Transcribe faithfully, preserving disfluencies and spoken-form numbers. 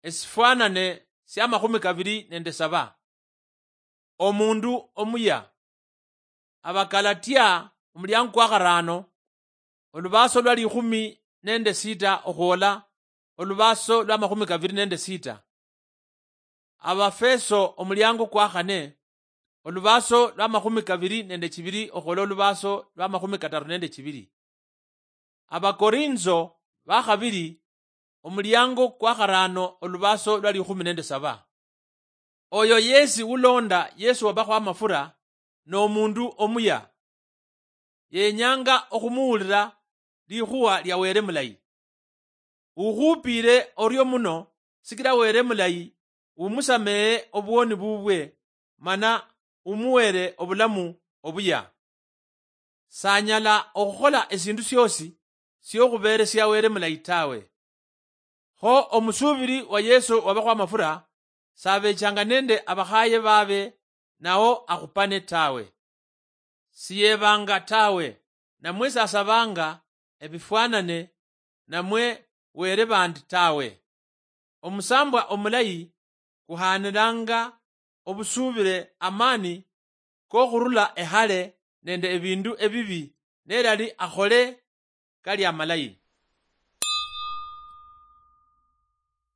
esifwanane siamakhumi kabili nende saba. Omundu omuya. Abakalatia omuliango kwa kharano, olubaso lwa likhumi nende sita okhwola olubaso lwa makhumi kabili nende sita. Abafeso omuliango kwa khane, olubaso lwa makhumi kabili nende chibili okhwola olubaso lwa makhumi kataru nende chibili. Abakorinso bakhabili omuliango kwa kharano olubaso lwa likhumi nende saba. Oyo yesi ulonda Yesu wabakhwa amafura nomundu omuya. Yenyanga okhumuwulira likhuwa lia Wele mulayi. Ukhupiire orio muno sikila Wele mulayi umusamehe obwoni bubwe, mana umuwele obulamu obuya. Sanyala okhukhola esindu siosi siokhuberesia Wele mulayi tawe. Kho omusuubili wa Yesu wabakhwa amafura sabechanga nende abakhaye babe nao akhupane tawe. Siyebanga tawe, namwe sasabanga ebifwanane namwe wele bandi tawe. Omusambwa omulayi kuhanilanga obusuubile amani kokhurula ehale nende ebindu ebibi nelali akhole kali amalayi.